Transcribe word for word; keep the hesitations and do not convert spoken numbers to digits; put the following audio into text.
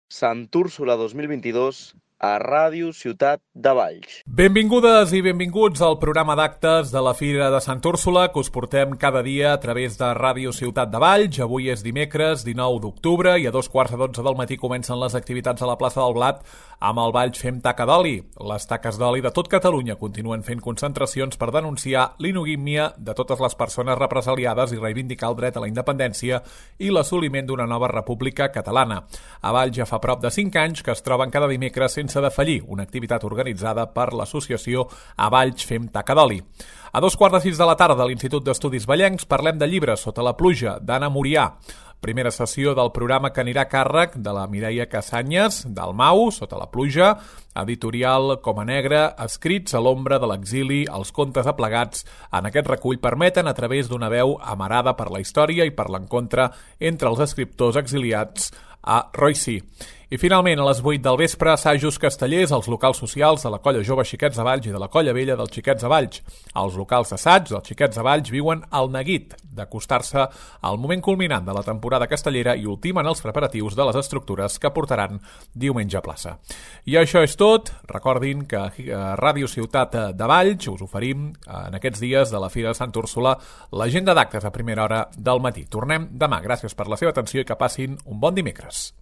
Sant Úrsula dos mil vint-i-dos a Ràdio Ciutat de Valls. Benvingudes i benvinguts al programa d'actes de la Fira de Sant Úrsula que us portem cada dia a través de Ràdio Ciutat de Valls. Avui és dimecres dinou d'octubre i a dos quarts de dotze del matí comencen les activitats a la plaça del Blat amb el Valls Fem Taca d'Oli. Les taques d'oli de tot Catalunya continuen fent concentracions per denunciar l'inogímia de totes les persones represaliades i reivindicar el dret a la independència i l'assoliment d'una nova república catalana. A Valls ja fa prop de cinc anys que es troben cada dimecres sense de fallir, una activitat organitzada per l'associació A Valls Fem Taca d'Oli. A dos quarts de sis de la tarda a l'Institut d'Estudis Vallencs parlem de llibres sota la pluja, d'Anna Murià. Primera sessió del programa que anirà a càrrec de la Mireia Casanyes, del Mau, Sota la pluja, editorial Coma Negra, escrits a l'ombra de l'exili, els contes aplegats en aquest recull permeten a través d'una veu amarada per la història i per l'encontre entre els escriptors exiliats a Roissy. I finalment, a les vuit del vespre, assajos castellers als locals socials de la Colla Jove Xiquets de Valls i de la Colla Vella dels Xiquets de Valls. Els locals d'assaig dels Xiquets de Valls viuen el neguit d'acostar-se al moment culminant de la temporada castellera i ultimen els preparatius de les estructures que portaran diumenge a plaça. I això és tot. Recordin que a Ràdio Ciutat de Valls us oferim en aquests dies de la Fira de Sant Úrsula l'agenda d'actes a primera hora del matí. Tornem demà. Gràcies per la seva atenció i que passin un bon dimecres.